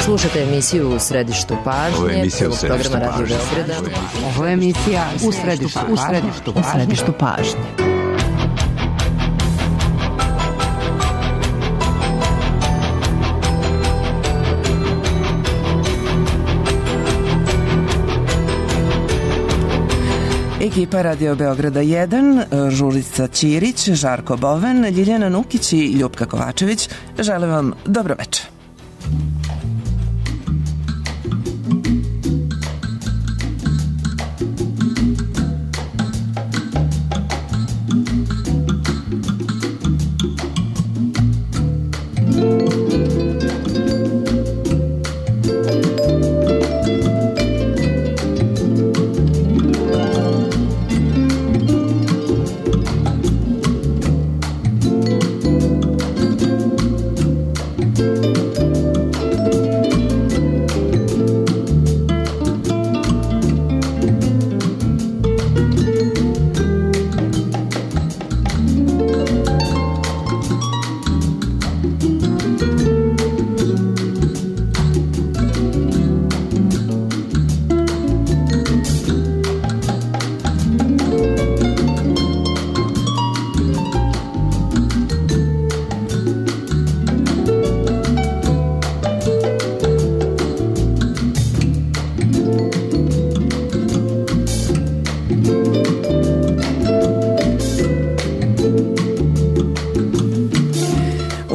Slušate emisiju U središtu pažnje, prvog programa Radio Beograda. Ovo je emisija U središtu pažnje. Ekipa Radio Beograda 1, Žurica Ćirić, Žarko Boven, Ljiljana Nukić i Ljupka Kovačević žele vam dobro večer.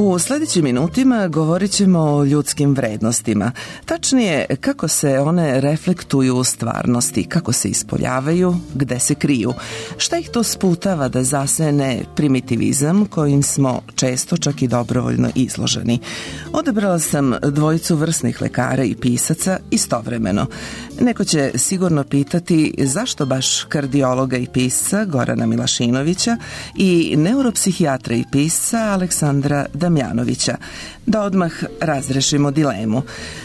U sljedećim minutima govorit ćemo o ljudskim vrednostima. Tačnije, kako se one reflektuju u stvarnosti, kako se ispoljavaju, gde se kriju. Šta ih to sputava da zasene primitivizam kojim smo često čak i dobrovoljno izloženi? Odabrala sam dvojicu vrsnih lekara i pisaca istovremeno. Neko će sigurno pitati zašto baš kardiologa i pisca Gorana Milašinovića i neuropsihijatra i pisca Aleksandra Damjanovića. Da odmah razrešimo dilemu.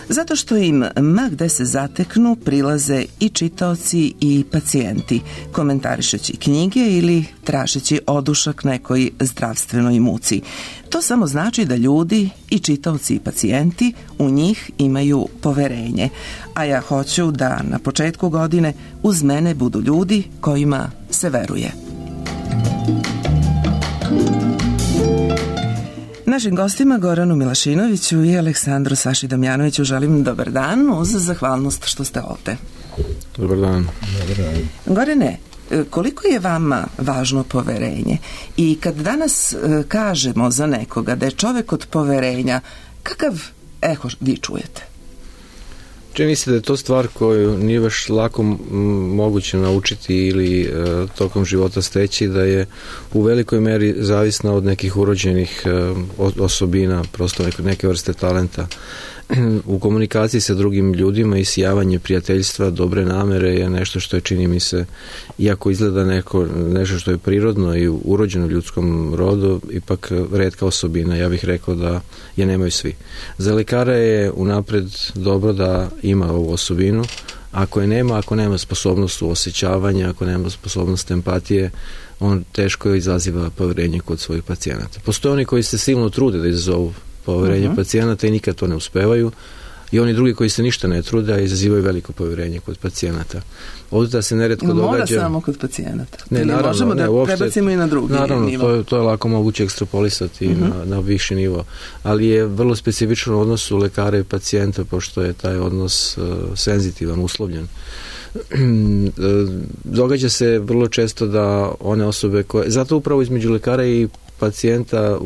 Zato što im ma gde se zateknu prilaze i čitaoci i pacijenti, komentarišeći knjige ili tražeći odušak nekoj zdravstvenoj muci. To samo znači da ljudi i čitaoci i pacijenti u njih imaju poverenje. A ja hoću da na početku godine uz mene budu ljudi kojima se veruje. Našim gostima Goranu Milašinoviću i Aleksandru Saši Damjanoviću želim dobar dan uz zahvalnost što ste ovde. Dobar dan. Gorane, koliko je vama važno poverenje? I kad danas kažemo za nekoga da je čovek od poverenja, kakav eho vi čujete? Čini se da je to stvar koju nije baš lako moguće naučiti ili tokom života steći, da je u velikoj meri zavisna od nekih urođenih osobina, prosto neke vrste talenta. U komunikaciji sa drugim ljudima i sijavanje prijateljstva, dobre namere je nešto što je, čini mi se, iako izgleda nešto što je prirodno i urođeno u ljudskom rodu, ipak retka osobina. Ja bih rekao da je nemaju svi. Za lekara je unapred dobro da ima ovu osobinu. Ako nema sposobnost osjećavanja, ako nema sposobnost empatije, on teško izaziva poverenje kod svojih pacijenata. Postoje oni koji se silno trude da izazovu poverenje pacijenata i nikad to ne uspevaju, i oni drugi koji se ništa ne trude, a izazivaju veliko poverenje kod pacijenata. Ovdje da se neretko događa... Mora samo kod pacijenata. Ne, naravno, možemo da uopšte, prebacimo i na drugi nivo. Naravno, to je lako moguće ekstrapolisati na viši nivo, ali je vrlo specifičan odnos u lekara i pacijenta, pošto je taj odnos senzitivan, uslovljen. Događa se vrlo često da one osobe koje... Zato upravo između lekara i pacijenta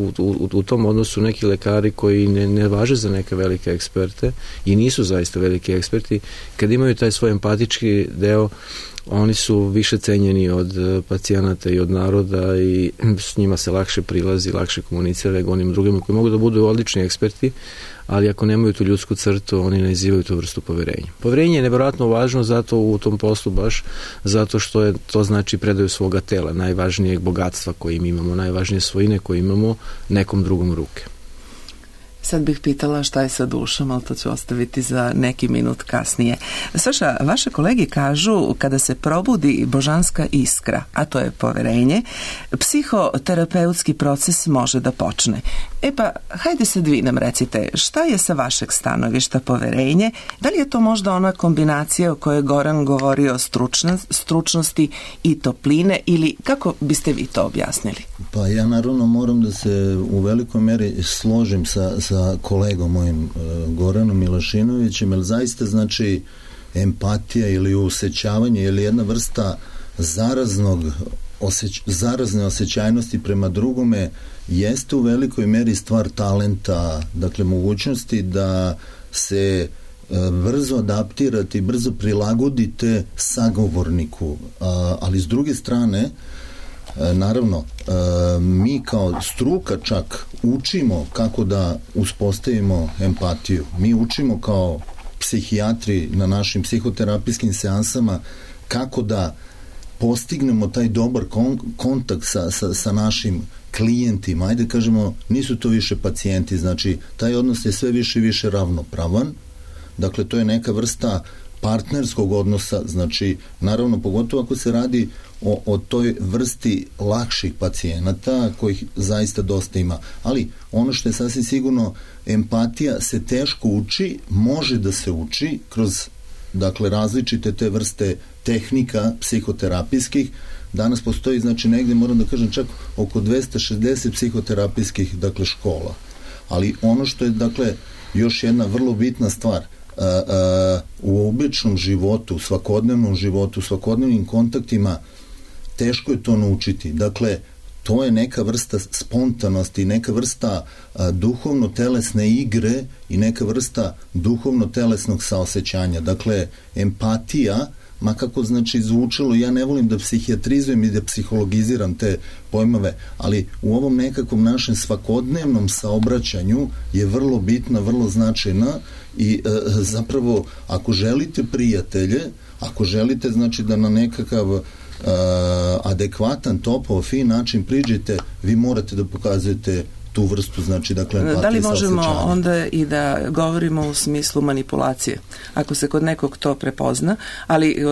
u tom odnosu neki lekari koji ne važe za neke velike eksperte i nisu zaista veliki eksperti, kad imaju taj svoj empatički deo, oni su više cenjeni od pacijenata i od naroda i s njima se lakše prilazi, lakše komunicira nego onim drugima koji mogu da budu odlični eksperti, ali ako nemaju tu ljudsku crtu, oni ne izivaju tu vrstu poverenja. Poverenje je nevjerojatno važno zato u tom poslu baš, zato što je to znači predaju svoga tela, najvažnijeg bogatstva koje imamo, najvažnije svojine koje imamo nekom drugom ruke. Sad bih pitala šta je sa dušom, ali to ću ostaviti za neki minut kasnije. Saša, vaše kolege kažu kada se probudi božanska iskra, a to je poverenje, psihoterapeutski proces može da počne. Pa, hajde sad vi nam recite, šta je sa vašeg stanovišta poverenje? Da li je to možda ona kombinacija o kojoj je Goran govorio stručnosti i topline, ili kako biste vi to objasnili? Pa ja naravno moram da se u velikoj meri složim sa kolegom mojim Goranom Milašinovićem, jer zaista znači empatija ili osjećavanje ili jedna vrsta zarazne osjećajnosti prema drugome jeste u velikoj meri stvar talenta, dakle mogućnosti da se brzo adaptirate i brzo prilagodite sagovorniku, ali s druge strane naravno mi kao struka čak učimo kako da uspostavimo empatiju, mi učimo kao psihijatri na našim psihoterapijskim seansama kako da postignemo taj dobar kontakt sa našim klijentima, ajde kažemo, nisu to više pacijenti, znači taj odnos je sve više i više ravnopravan, dakle to je neka vrsta partnerskog odnosa, znači naravno pogotovo ako se radi o toj vrsti lakših pacijenata kojih zaista dosta ima, ali ono što je sasvim sigurno, empatija se teško uči, može da se uči kroz dakle različite te vrste tehnika psihoterapijskih. Danas postoji, znači negdje moram da kažem čak oko 260 psihoterapijskih dakle škola, ali ono što je dakle još jedna vrlo bitna stvar, u običnom životu, u svakodnevnom životu, u svakodnevnim kontaktima teško je to naučiti, dakle to je neka vrsta spontanosti, neka vrsta duhovno-telesne igre i neka vrsta duhovno-telesnog saosećanja. Dakle, empatija, ma kako znači zvučalo, ja ne volim da psihijatrizujem i da psihologiziram te pojmove, ali u ovom nekakvom našem svakodnevnom saobraćanju je vrlo bitna, vrlo značajna i zapravo ako želite prijatelje, ako želite znači da na nekakav adekvatan, topao, fin način priđete, vi morate da pokazujete tu vrstu, znači dakle empatije. Da li možemo onda i da govorimo u smislu manipulacije, ako se kod nekog to prepozna, ali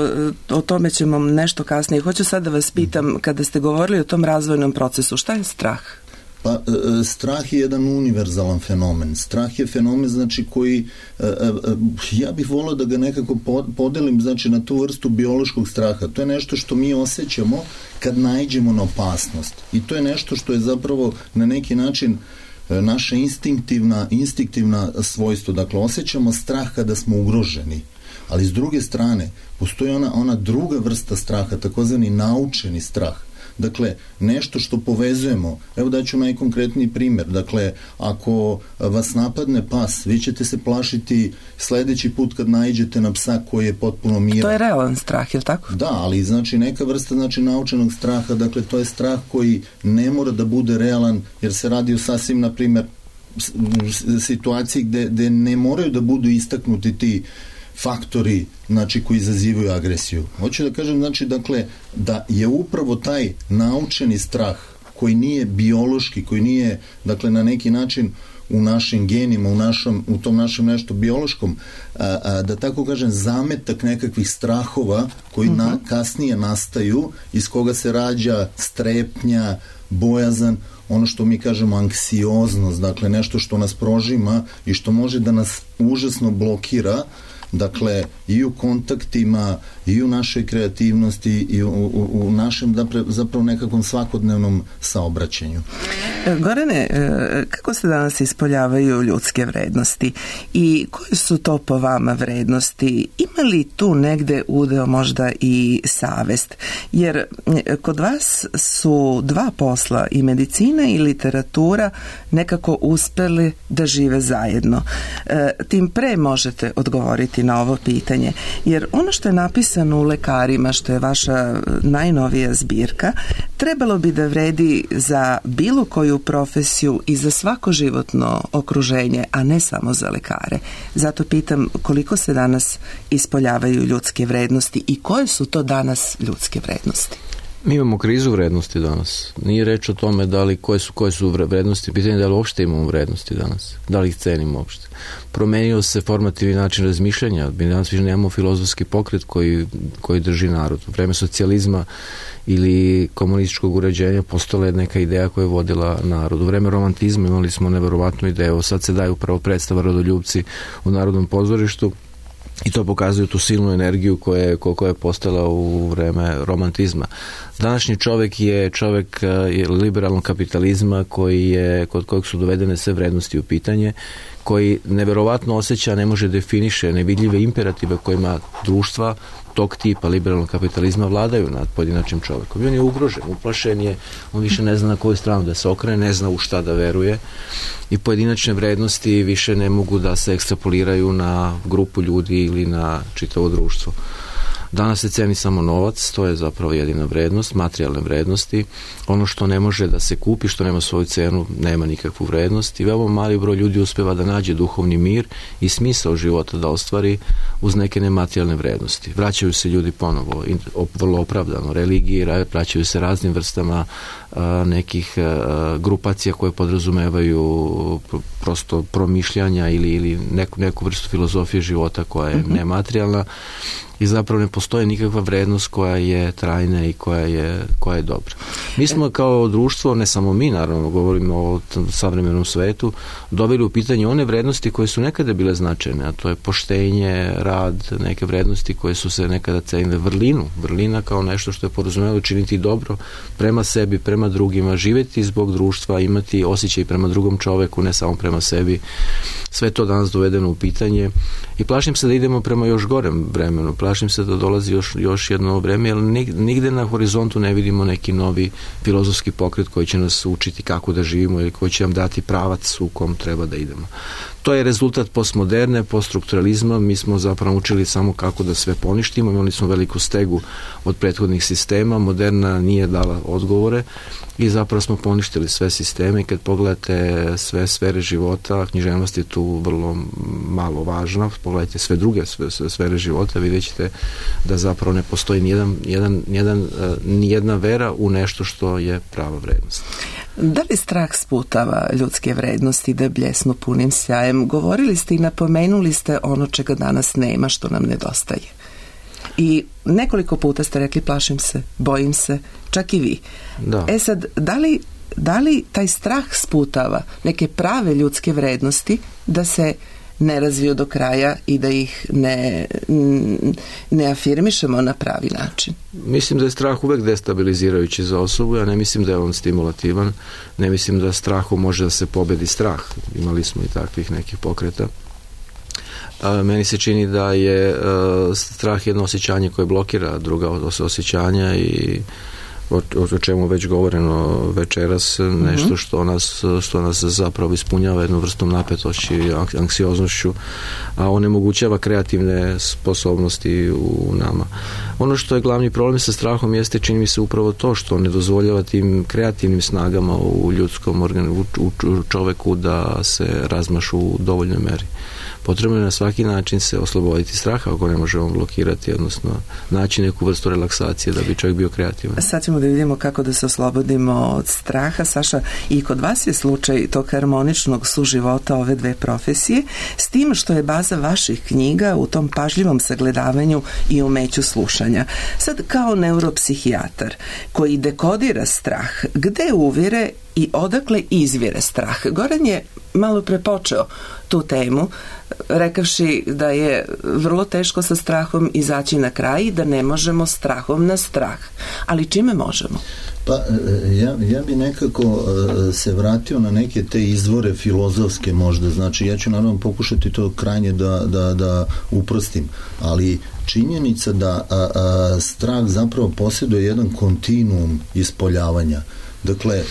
o tome ćemo nešto kasnije. Hoću sad da vas pitam, kada ste govorili o tom razvojnom procesu, šta je strah? Pa, strah je jedan univerzalan fenomen. Strah je fenomen, znači, koji ja bih volio da ga nekako podelim, znači, na tu vrstu biološkog straha. To je nešto što mi osjećamo kad naiđemo na opasnost. I to je nešto što je zapravo na neki način naša instinktivna svojstvo. Dakle, osjećamo strah kada smo ugroženi. Ali s druge strane, postoji ona druga vrsta straha, takozvani naučeni strah. Dakle, nešto što povezujemo. Evo daću najkonkretniji primjer. Dakle, ako vas napadne pas, vi ćete se plašiti sledeći put kad naiđete na psa koji je potpuno miran. To je realan strah, je li tako? Da, ali znači neka vrsta znači naučenog straha, dakle to je strah koji ne mora da bude realan, jer se radi o sasvim, na primjer, situaciji gde ne moraju da budu istaknuti ti faktori, znači, koji izazivaju agresiju. Hoću da kažem, znači, dakle, da je upravo taj naučeni strah koji nije biološki, koji nije, dakle, na neki način u našim genima, u tom našem nešto biološkom, da tako kažem, zametak nekakvih strahova koji kasnije nastaju, iz koga se rađa strepnja, bojazan, ono što mi kažemo anksioznost, dakle, nešto što nas prožima i što može da nas užasno blokira, dakle, i u kontaktima, i u našoj kreativnosti, i u našem zapravo nekakvom svakodnevnom saobraćenju. Gorane, kako se danas ispoljavaju ljudske vrednosti i koje su to po vama vrednosti? Ima li tu negde udeo možda i savest? Jer kod vas su dva posla, i medicina i literatura, nekako uspeli da žive zajedno. Tim pre možete odgovoriti na ovo pitanje, jer ono što je napisano u Lekarima, što je vaša najnovija zbirka, trebalo bi da vredi za bilo koju profesiju i za svako životno okruženje, a ne samo za lekare. Zato pitam koliko se danas ispoljavaju ljudske vrednosti i koje su to danas ljudske vrednosti? Mi imamo krizu vrednosti danas. Nije reč o tome koje su vrednosti, pitanje da li uopšte imamo vrednosti danas, da li ih cenimo uopšte. Promenio se formativni način razmišljanja, mi danas više nemamo filozofski pokret koji drži narod. U vreme socijalizma ili komunističkog uređenja postala je neka ideja koja je vodila narod. U vreme romantizma imali smo neverovatnu ideju, sad se daju upravo predstava Rodoljupci u Narodnom pozorištu, i to pokazuju tu silnu energiju koja je postala u vreme romantizma. Današnji čovek je čovek liberalnog kapitalizma kod kojeg su dovedene sve vrednosti u pitanje, koji neverovatno osjeća, ne može definiše nevidljive imperative kojima društva tog tipa liberalnog kapitalizma vladaju nad pojedinačnim čovekom. I on je ugrožen, uplašen je, on više ne zna na koju stranu da se okrene, ne zna u šta da veruje i pojedinačne vrednosti više ne mogu da se ekstrapoliraju na grupu ljudi ili na čitavo društvo. Danas se ceni samo novac, to je zapravo jedina vrednost, materijalne vrednosti. Ono što ne može da se kupi, što nema svoju cenu, nema nikakvu vrednost i veoma mali broj ljudi uspeva da nađe duhovni mir i smisao života da ostvari uz neke nematerijalne vrednosti. Vraćaju se ljudi ponovo, vrlo opravdano, religiji, vraćaju se raznim vrstama nekih grupacija koje podrazumevaju prosto promišljanja ili neku vrstu filozofije života koja je nematerijalna i zapravo ne postoji nikakva vrednost koja je trajna i koja je dobra. Mi smo kao društvo, ne samo mi naravno, govorimo o savremenom svetu, doveli u pitanje one vrednosti koje su nekada bile značajne, a to je poštenje, rad, neke vrednosti koje su se nekada cenile, vrlina kao nešto što je podrazumevalo činiti dobro prema sebi, prema drugima, živjeti zbog društva, imati osjećaj prema drugom čoveku, ne samo prema sebi. Sve to danas dovedeno u pitanje i plašim se da idemo prema još gorem vremenu. Plašim se da dolazi još jedno vreme, jer nigde na horizontu ne vidimo neki novi filozofski pokret koji će nas učiti kako da živimo ili koji će nam dati pravac u kom treba da idemo. To je rezultat postmoderne, poststrukturalizma. Mi smo zapravo učili samo kako da sve poništimo, imali smo veliku stegu od prethodnih sistema, moderna nije dala odgovore i zapravo smo poništili sve sisteme i kad pogledate sve sfere života, književnost je tu vrlo malo važna, pogledajte sve druge sfere života, vidjet ćete da zapravo ne postoji nijedna vera u nešto što je prava vrednost. Da li strah sputava ljudske vrednosti da bljesnu punim sjajem? Govorili ste i napomenuli ste ono čega danas nema, što nam nedostaje. I nekoliko puta ste rekli plašim se, bojim se, čak i vi. Da. Sad, da li taj strah sputava neke prave ljudske vrednosti da se ne razviju do kraja i da ih ne afirmišemo na pravi način? Mislim da je strah uvek destabilizirajući za osobu, ja ne mislim da je on stimulativan, ne mislim da strahom može da se pobedi strah. Imali smo i takvih nekih pokreta. Meni se čini da je strah jedno osjećanje koje blokira druga osjećanja i o čemu već govoreno večeras, nešto što nas zapravo ispunjava jednu vrstom napetošću i anksioznošću, a onemogućava kreativne sposobnosti u nama. Ono što je glavni problem sa strahom jeste, čini mi se, upravo to što ne dozvoljava tim kreativnim snagama u ljudskom u čoveku da se razmašu u dovoljnoj meri. Potrebno je na svaki način se osloboditi straha ako ne možemo blokirati, odnosno naći neku vrstu relaksacije da bi čovjek bio kreativan. Sad ćemo da vidimo kako da se oslobodimo od straha. Saša, i kod vas je slučaj tog harmoničnog suživota ove dve profesije, s tim što je baza vaših knjiga u tom pažljivom sagledavanju i umeću slušanja. Sad, kao neuropsihijatar koji dekodira strah, gde uvire i odakle izvire strah? Goran je malo prepočeo tu temu, rekavši da je vrlo teško sa strahom izaći na kraj i da ne možemo strahom na strah. Ali čime možemo? Pa ja bi nekako se vratio na neke te izvore filozofske možda, znači ja ću naravno pokušati to krajnje da uprostim, ali činjenica da strah zapravo posjeduje jedan kontinuum ispoljavanja. Dakle,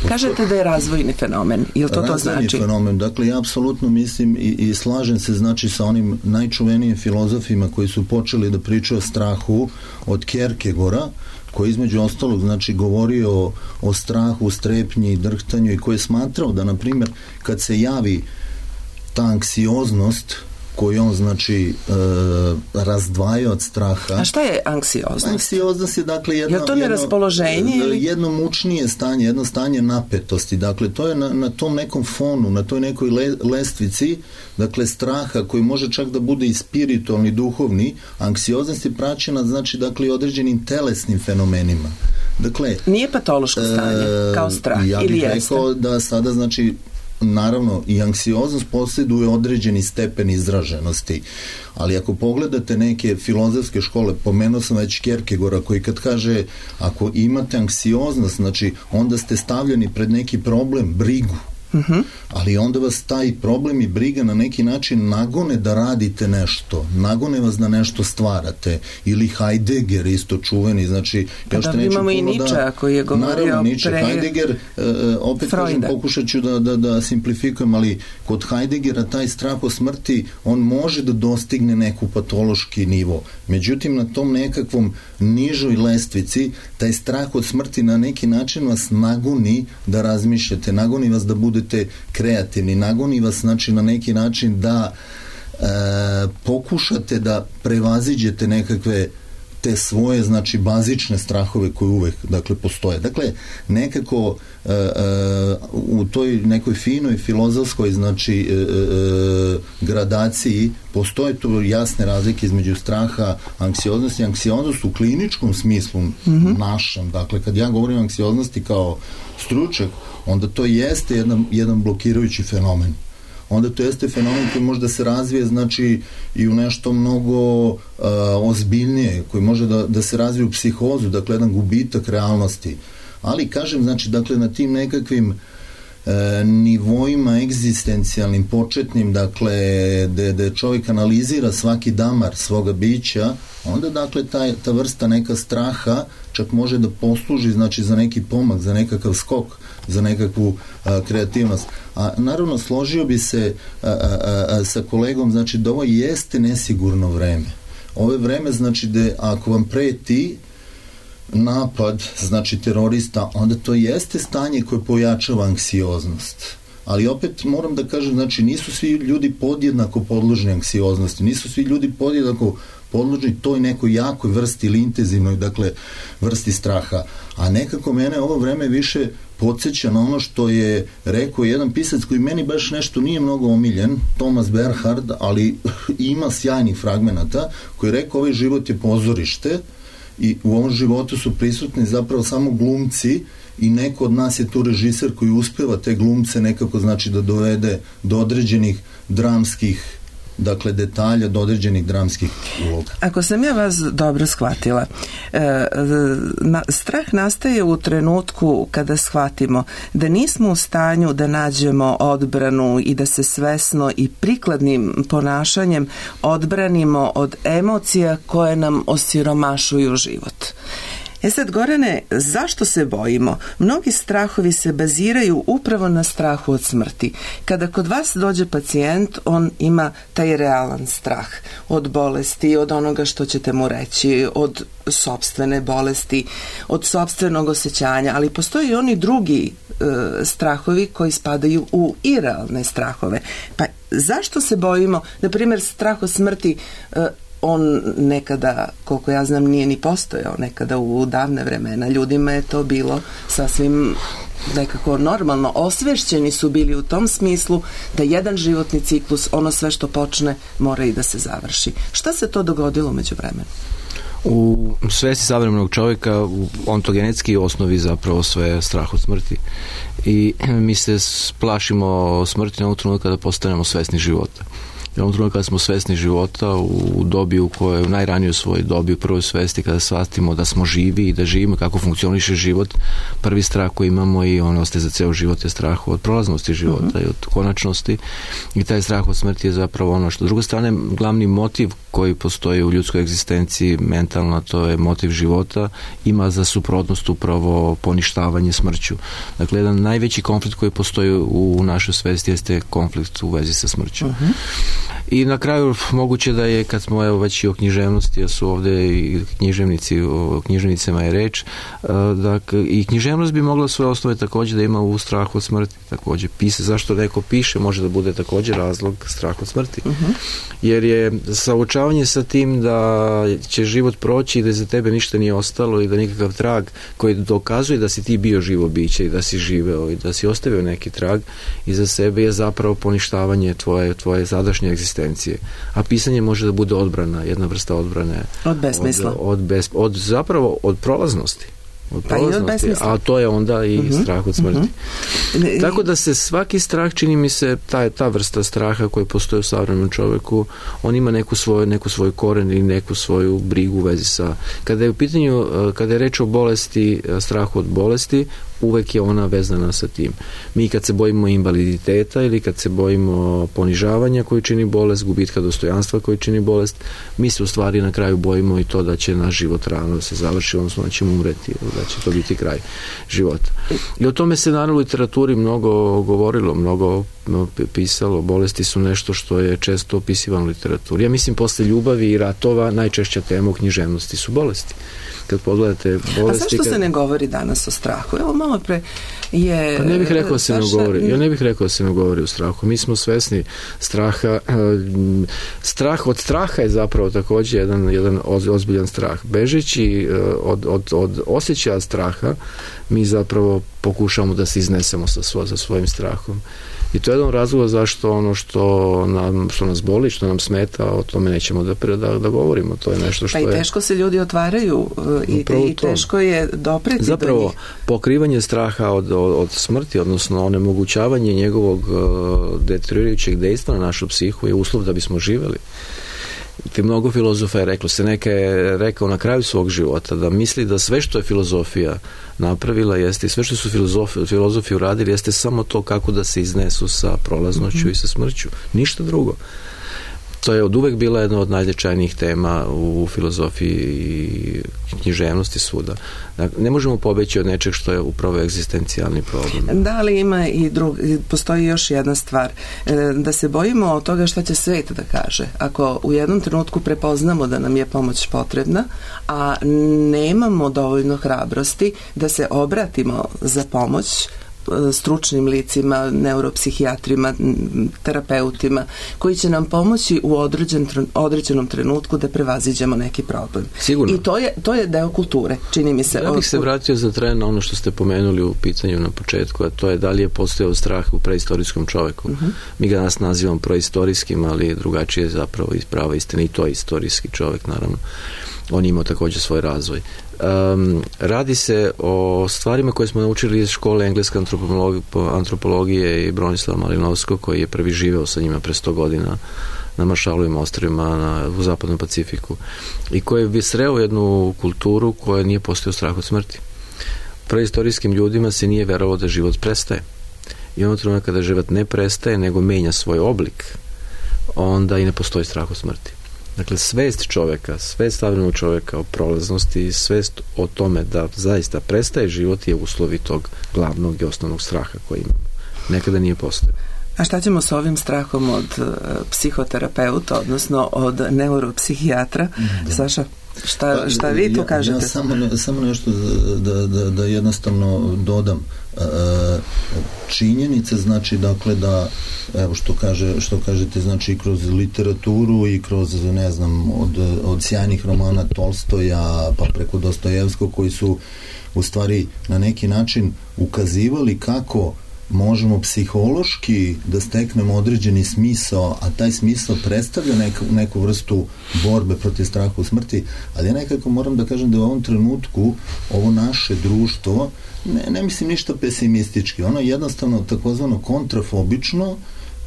kažete da je razvojni fenomen, je li to znači? Razvojni fenomen, dakle ja apsolutno mislim i slažem se znači sa onim najčuvenijim filozofima koji su počeli da pričaju o strahu od Kierkegaarda, koji između ostalog znači govorio o strahu, strepnji, drhtanju i koji je smatrao da na primjer kad se javi ta anksioznost koji on znači razdvaja od straha. A šta je anksioznost? Anksioznost je dakle jedno mučnije stanje, jedno stanje napetosti. Dakle, to je na tom nekom fonu, na toj nekoj lestvici, dakle straha koji može čak da bude i spiritualni, duhovni. Anksioznost je praćena znači dakle određenim telesnim fenomenima. Dakle, nije patološko stanje kao strah ili jeste? Ja bih rekao da sada znači naravno i anksioznost posjeduje određeni stepen izraženosti, ali ako pogledate neke filozofske škole, pomenuo sam već Kierkegaarda koji kad kaže ako imate anksioznost, znači onda ste stavljeni pred neki problem, brigu. Ali onda vas taj problem i briga na neki način nagone da radite nešto, nagone vas da nešto stvarate. Ili Heidegger isto čuveni, znači imamo i Nietzsche koji je govorio pre Heidegger, opet kažem, pokušat ću da simplifikujem, ali kod Heideggera taj strah od smrti on može da dostigne neku patološki nivo, međutim na tom nekakvom nižoj lestvici taj strah od smrti na neki način vas nagoni da razmišljate, nagoni vas da budete kreativni, nagoni vas znači na neki način da pokušate da prevaziđete nekakve te svoje znači bazične strahove koje uvek dakle postoje. Dakle nekako u toj nekoj finoj filozofskoj znači gradaciji postoje tu jasne razlike između straha, anksioznosti. Anksioznost u kliničkom smislu našem, dakle kad ja govorim o anksioznosti kao stručnjak, onda to jeste jedan blokirajući fenomen. Onda to jeste fenomen koji može da se razvije znači i u nešto mnogo ozbiljnije, koji može da se razvije u psihozu, dakle jedan gubitak realnosti. Ali kažem znači dakle na tim nekakvim nivoima egzistencijalnim, početnim, dakle da čovjek analizira svaki damar svoga bića, onda dakle ta vrsta neka straha čak može da posluži znači za neki pomak, za nekakav skok, za nekakvu kreativnost. A naravno složio bi se sa kolegom znači da ovo jeste nesigurno vreme. Ovo je vreme znači da ako vam preti napad, znači terorista, onda to jeste stanje koje pojačava anksioznost. Ali opet moram da kažem, znači nisu svi ljudi podjednako podložni anksioznosti, nisu svi ljudi podjednako podložni toj nekoj jakoj vrsti ili intenzivnoj, dakle, vrsti straha. A nekako mene ovo vreme više podsjeća na ono što je rekao jedan pisac koji meni baš nešto nije mnogo omiljen, Thomas Bernhard, ali ima sjajnih fragmenata, koji je rekao ovaj život je pozorište i u ovom životu su prisutni zapravo samo glumci i neko od nas je tu režiser koji uspeva te glumce nekako znači da dovede do određenih dramskih dakle detalja, do određenih dramskih uloga. Ako sam ja vas dobro shvatila, strah nastaje u trenutku kada shvatimo da nismo u stanju da nađemo odbranu i da se svesno i prikladnim ponašanjem odbranimo od emocija koje nam osiromašuju život. Sad, Gorane, zašto se bojimo? Mnogi strahovi se baziraju upravo na strahu od smrti. Kada kod vas dođe pacijent, on ima taj realan strah od bolesti, od onoga što ćete mu reći, od sopstvene bolesti, od sopstvenog osjećanja, ali postoji i oni drugi strahovi koji spadaju u irealne strahove. Pa zašto se bojimo? Na primjer, strah od smrti on nekada, koliko ja znam, nije ni postojao nekada u davne vremena. Ljudima je to bilo sasvim nekako normalno. Osvešćeni su bili u tom smislu da jedan životni ciklus, ono sve što počne, mora i da se završi. Šta se to dogodilo među vremenu? U svesti savremenog čovjeka ontogenetski osnovi zapravo sve strah od smrti i mi se plašimo smrti na ovom trenutku kada postanemo svesni života. U ovom trenutku kada smo svesni života u dobi u kojoj, u najranijoj svojoj dobi, u prvoj svesti kada shvatimo da smo živi i da živimo, kako funkcioniše život, prvi strah koji imamo i on ostaje za ceo život je strah od prolaznosti života i od konačnosti i taj strah od smrti je zapravo ono što. S druge strane, glavni motiv koji postoji u ljudskoj egzistenciji mentalno, to je motiv života, ima za suprotnost upravo poništavanje smrću. Dakle, jedan najveći konflikt koji postoji u našoj svesti jeste konflikt u vezi sa smrću. I na kraju moguće da je, kad smo već i o književnosti, jer su ovde i književnici, o književnicama je reč, dakle, i književnost bi mogla svoje osnove takođe da ima u strahu od smrti, takođe. Zašto neko piše može da bude takođe razlog straha od smrti. Jer je saučavanje sa tim da će život proći i da za tebe ništa nije ostalo i da nikakav trag koji dokazuje da si ti bio živo biće i da si živeo i da si ostavio neki trag iza sebe je zapravo poništavanje tvoje sadašnje egzistencije. A pisanje može da bude odbrana, jedna vrsta odbrane. Od besmisla. Zapravo od prolaznosti. A to je onda i strah od smrti. Tako da se svaki strah, čini mi se, ta vrsta straha koja postoji u savremenom čoveku, on ima neku svoju koren ili neku svoju brigu u vezi sa... Kada je u pitanju, kada je reč o bolesti, strahu od bolesti, uvek je ona vezana sa tim. Mi kad se bojimo invaliditeta ili kad se bojimo ponižavanja koji čini bolest, gubitka dostojanstva koji čini bolest, mi se u stvari na kraju bojimo i to da će naš život rano da se završi, odnosno da ćemo umreti, da će to biti kraj života. I o tome se naravno u literaturi mnogo govorilo, mnogo pisalo. Bolesti su nešto što je često opisivano u literaturi. Ja mislim, posle ljubavi i ratova najčešća tema u književnosti su bolesti. Kad pogledate bolesti... A zašto se ne govori danas o strahu? Evo, malo pre je... Pa ne bih rekao da se ne govori. Ja ne bih rekao da se ne govori o strahu. Mi smo svesni straha. Od straha je zapravo takođe jedan ozbiljan strah. Bežeći od osjećaja straha, mi zapravo pokušamo da se iznesemo sa svojim strahom. I to je jedan razlog zašto ono što nas boli, što nam smeta, o tome nećemo da govorimo. To je nešto što je... Pa i teško se ljudi otvaraju i teško je dopreti do njih. Zapravo, pokrivanje straha od smrti, odnosno onemogućavanje njegovog deteriorirajućeg dejstva na našu psihu je uslov da bismo živeli. Mnogo filozofa je reklo, Seneka je rekao na kraju svog života da misli da sve što je filozofija napravila jeste i sve što su filozofi uradili jeste samo to kako da se iznesu sa prolaznošću i sa smrću. Ništa drugo. To je od uvek bila jedna od najznačajnijih tema u filozofiji i književnosti svuda. Dakle, ne možemo pobeći od nečeg što je upravo egzistencijalni problem. Da, ali ima postoji još jedna stvar. Da se bojimo od toga šta će svet da kaže. Ako u jednom trenutku prepoznamo da nam je pomoć potrebna, a nemamo dovoljno hrabrosti da se obratimo za pomoć stručnim licima, neuropsihijatrima, terapeutima, koji će nam pomoći u određenom trenutku da prevaziđemo neki problem. Sigurno. I to je deo kulture, čini mi se. Ja bih se vratio za tren na ono što ste pomenuli u pitanju na početku, a to je da li je postojao strah u preistorijskom čoveku. Mi ga danas nazivamo preistorijskim, ali drugačije je zapravo prava istina i to je istorijski čovek, naravno. On je imao takođe svoj razvoj. Radi se o stvarima koje smo naučili iz škole engleske antropologije i Bronislava Malinovskog, koji je prvi živeo sa njima pre 100 godina na Maršalovim ostrvima u zapadnom Pacifiku i koji je sreo jednu kulturu koja nije postojao strah od smrti. Preistorijskim ljudima se nije verovalo da život prestaje. I ono trenutka kada život ne prestaje, nego menja svoj oblik, onda i ne postoji strah od smrti. Dakle, svest čoveka, svest savremenog čoveka o prolaznosti, svest o tome da zaista prestaje život je uslovi tog glavnog i osnovnog straha koji imamo. Nekada nije postojao. A šta ćemo s ovim strahom od psihoterapeuta, odnosno od neuropsihijatra? Saša, šta vi tu kažete? Ja samo nešto da jednostavno dodam. Činjenica znači dakle da evo što kažete znači kroz literaturu i kroz ne znam od sjajnih romana Tolstoja pa preko Dostojevskog koji su u stvari na neki način ukazivali kako možemo psihološki da steknemo određeni smisao, a taj smisao predstavlja neku vrstu borbe protiv straha u smrti, ali ja nekako moram da kažem da u ovom trenutku ovo naše društvo ne mislim ništa pesimistički, ono je jednostavno takozvano kontrafobično,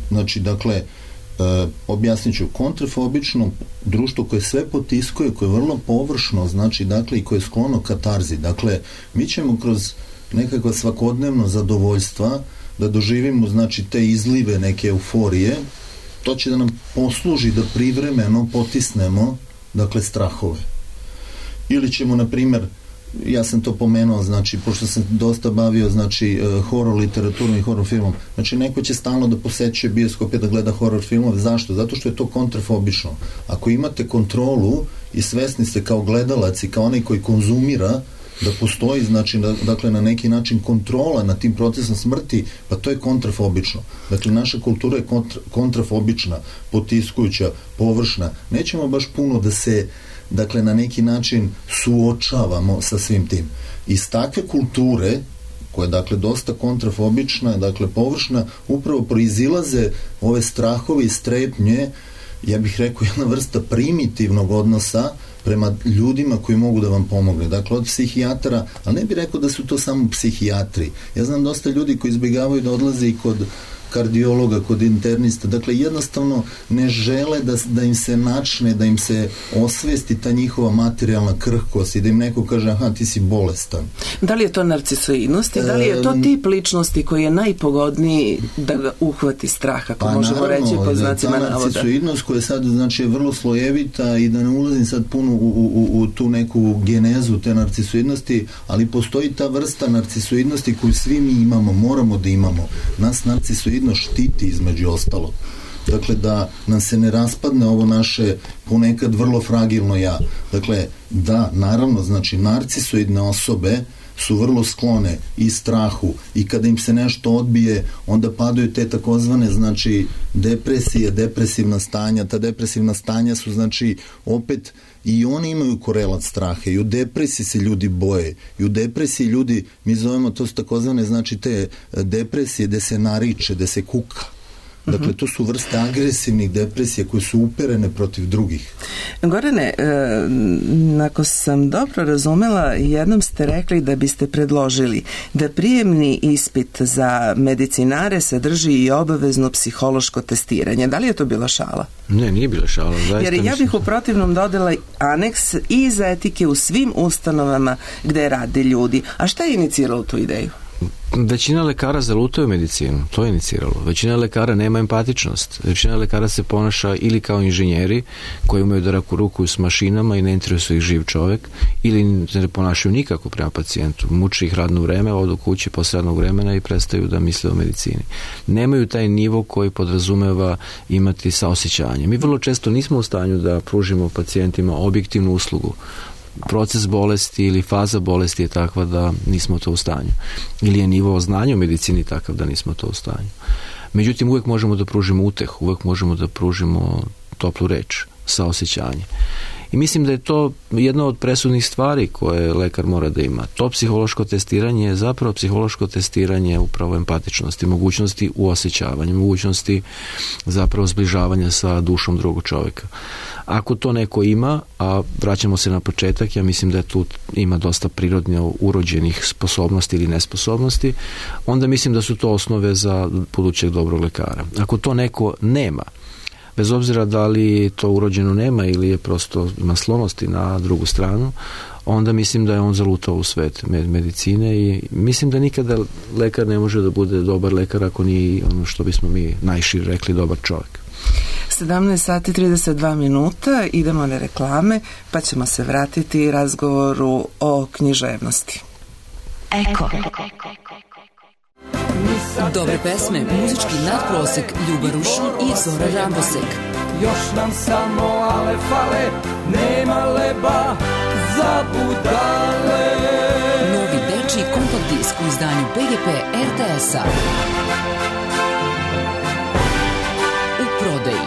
znači dakle objasnit ću, kontrafobično društvo koje sve potiskuje, koje je vrlo površno, znači dakle i koje je sklono katarzi, dakle mi ćemo kroz nekakva svakodnevno zadovoljstva da doživimo znači te izlive neke euforije, to će da nam posluži da privremeno potisnemo dakle strahove. Ili ćemo na primer ja sam to pomenuo, znači, pošto sam dosta bavio, znači, horor literaturom i horor filmom, znači, neko će stalno da posećuje bioskope da gleda horor filmove. Zašto? Zato što je to kontrafobično. Ako imate kontrolu i svesni ste kao gledalac i kao onaj koji konzumira da postoji, znači, dakle, na neki način kontrola nad tim procesom smrti, pa to je kontrafobično. Dakle, naša kultura je kontrafobična, potiskujuća, površna. Nećemo baš puno da se, dakle, na neki način suočavamo sa svim tim. Iz takve kulture, koja je, dakle, dosta kontrafobična, dakle, površna, upravo proizilaze ove strahove i strepnje, ja bih rekao, jedna vrsta primitivnog odnosa prema ljudima koji mogu da vam pomogne. Dakle, od psihijatara, ali ne bih rekao da su to samo psihijatri. Ja znam dosta ljudi koji izbjegavaju da odlaze i kod kardiologa, kod internista. Dakle, jednostavno ne žele da im se načne, da im se osvesti ta njihova materijalna krhkost i da im neko kaže, aha, ti si bolestan. Da li je to narcisoidnost i da li je to tip ličnosti koji je najpogodniji da ga uhvati strah, ako možemo reći po znacima navoda? Ta narcisoidnost koja sad, znači, je vrlo slojevita i da ne ulazim sad puno u tu neku genezu te narcisoidnosti, ali postoji ta vrsta narcisoidnosti koju svi mi imamo, moramo da imamo. Nas narcisoidnost štiti, između ostalog. Dakle, da nam se ne raspadne ovo naše ponekad vrlo fragilno ja. Dakle, da, naravno, znači, narcisoidne osobe su vrlo sklone i strahu i kada im se nešto odbije, onda padaju te takozvane, znači, depresije, depresivna stanja. Ta depresivna stanja su, znači, opet i oni imaju korelat straha i u depresiji se ljudi boje i u depresiji ljudi, mi zovemo to su takozvane, znači, te depresije gde se nariče, gde se kuka. Dakle, to su vrste agresivnih depresija koje su uperene protiv drugih. Gorane, ako sam dobro razumela, jednom ste rekli da biste predložili da prijemni ispit za medicinare sadrži i obavezno psihološko testiranje. Da li je to bila šala? Ne, nije bila šala. Jer ja bih u protivnom dodala aneks i za etike u svim ustanovama gde rade ljudi. A šta je iniciralo tu ideju? Većina lekara zalutaju medicinu, to je iniciralo. Većina lekara nema empatičnost. Većina lekara se ponaša ili kao inženjeri koji umeju da rukuju s mašinama i ne interesuje ih živ čovek, ili ne ponašaju nikako prema pacijentu. Muči ih radno vreme, odu kući posle radnog vremena i prestaju da misle o medicini. Nemaju taj nivo koji podrazumeva imati saosećanje. Mi vrlo često nismo u stanju da pružimo pacijentima objektivnu uslugu. Proces bolesti ili faza bolesti je takva da nismo to u stanju. Ili je nivo znanja u medicini takav da nismo to u stanju. Međutim, uvek možemo da pružimo utehu, uvek možemo da pružimo toplu reč, saosećanje. I mislim da je to jedna od presudnih stvari koje lekar mora da ima. To psihološko testiranje je zapravo psihološko testiranje upravo empatičnosti, mogućnosti uosjećavanja, mogućnosti zapravo zbližavanja sa dušom drugog čoveka. Ako to neko ima, a vraćamo se na početak, ja mislim da je tu ima dosta prirodno urođenih sposobnosti ili nesposobnosti, onda mislim da su to osnove za budućeg dobrog lekara. Ako to neko nema, bez obzira da li to urođeno nema ili je prosto ima sklonosti na drugu stranu, onda mislim da je on zalutao u svet medicine i mislim da nikada lekar ne može da bude dobar lekar ako nije ono što bismo mi najšire rekli dobar čovjek. 17 sati 32 minuta, idemo na reklame, pa ćemo se vratiti razgovoru o književnosti. Eko. Dobre pesme, muzički nadprosek, Ljuba Rušin i Zora Rambosek. Još nam samo ale fale, nema leba za budale. Novi dečiji kompakt disk u izdanju PGP RTS-a. U prodaji.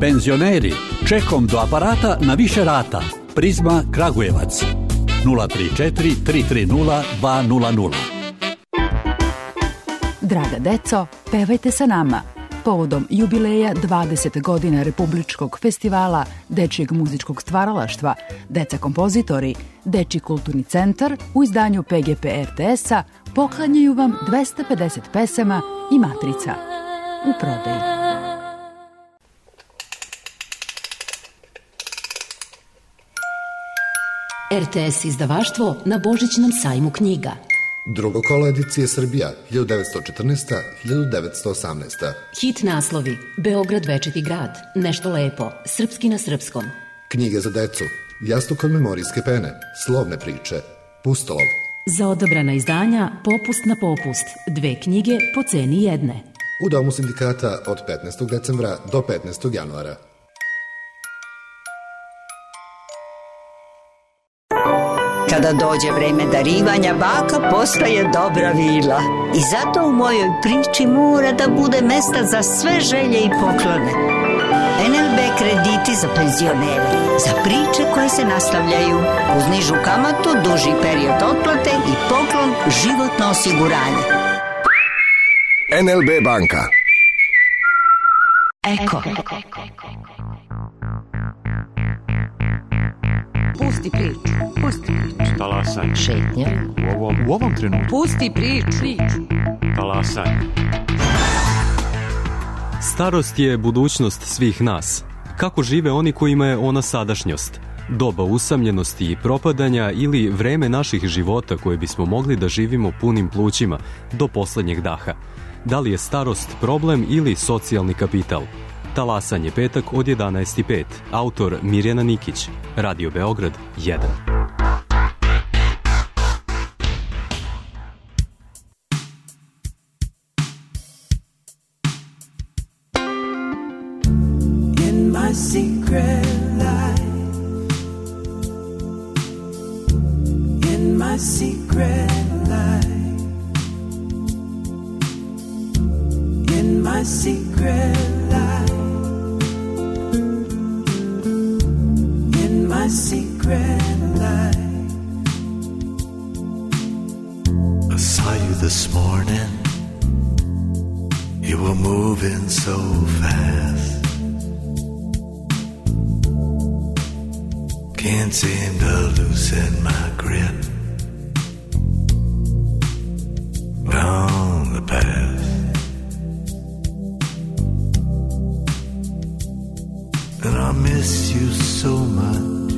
Penzioneri, čekom do aparata na više rata. Prizma Kragujevac. 034 330 200. Draga deco, pevajte sa nama. Povodom jubileja 20 godina Republičkog festivala dečijeg muzičkog stvaralaštva, Deca kompozitori, Dečiji kulturni centar u izdanju PGP RTS-a poklanjaju vam 250 pesama i matrica. U prodaji. RTS izdavaštvo na Božićnom sajmu knjiga. Drugo kolo edicije Srbija, 1914-1918. Hit naslovi: Beograd večiti grad, Nešto lepo, Srpski na srpskom. Knjige za decu, Jastuk od memorijske pene, slovne priče, Pustolov. Za odabrana izdanja Popust na popust. 2 knjige po ceni jedne. U Domu sindikata od 15. decembra do 15. januara. Kada dođe vreme darivanja, baka postaje dobra vila. I zato u mojoj priči mora da bude mesta za sve želje i poklone. NLB krediti za penzionere, za priče koje se nastavljaju, uz nižu kamatu, duži period otplate i poklon životno osiguranje. NLB banka. Eko. Pusti priču, pusti priču. Talasaj. Šetnja. U ovom trenutku. Pusti priču. Talasaj. Starost je budućnost svih nas. Kako žive oni kojima je ona sadašnjost? Doba usamljenosti i propadanja ili vreme naših života koje bismo mogli da živimo punim plućima do poslednjeg daha? Da li je starost problem ili socijalni kapital? Talasanje petak od 11:05. Autor Mirjana Nikić. Radio Beograd 1. My secret life, in my secret life, in my secret life, in my secret life. I saw you this morning, you were moving so fast. Can't seem to loosen my grip on the past. And I miss you so much.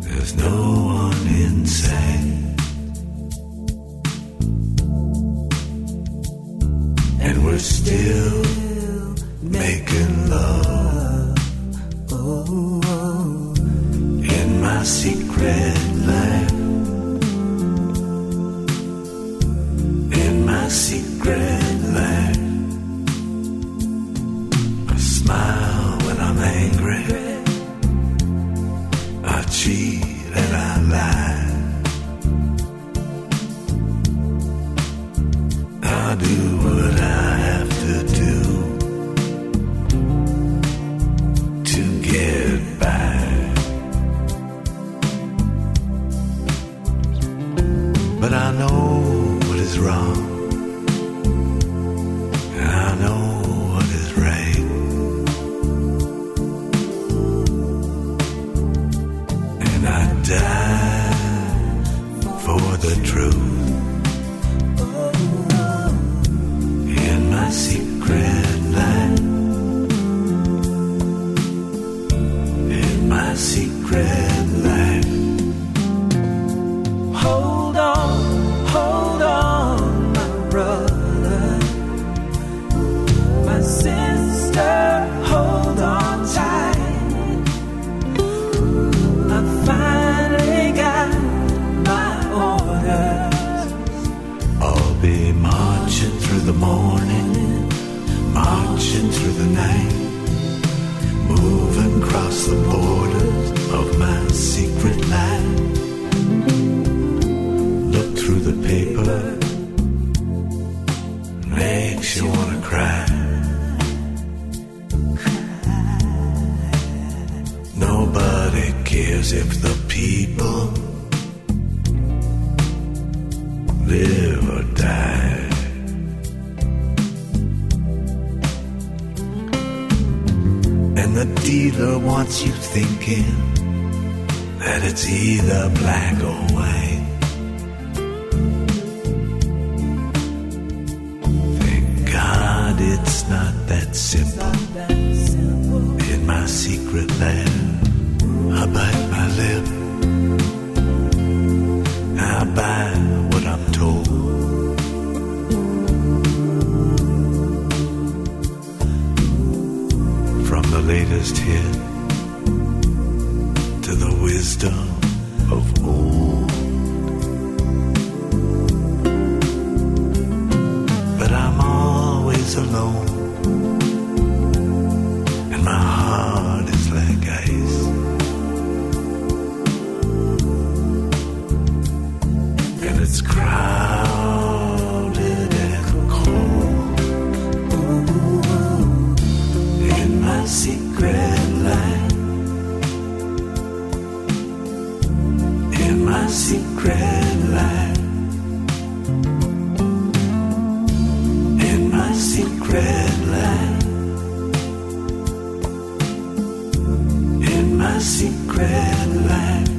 There's no one in sight, and we're still making love. In my secret life, in my secret life, I smile when I'm angry, I cheat and I lie, I do what I have to do to get by. But I know what is wrong, and I know what is right, and I die for the truth. In my secret life, in my secret life. Hold on, my brother, my sister, hold on tight. I finally got my orders. I'll be marching through the morning, marching through the night, moving across the borders of my secret life. Look through the paper, makes you wanna cry. Nobody cares if the people live or die. And the dealer wants you thinking that it's either black or white. Thank God it's not that simple. In my secret land, I bite my lip, I buy what I'm told. From the latest hit nights alone, and my heart is like ice. And it's crowded and cold in my secret life. In my secret life. In my secret life. In my secret life.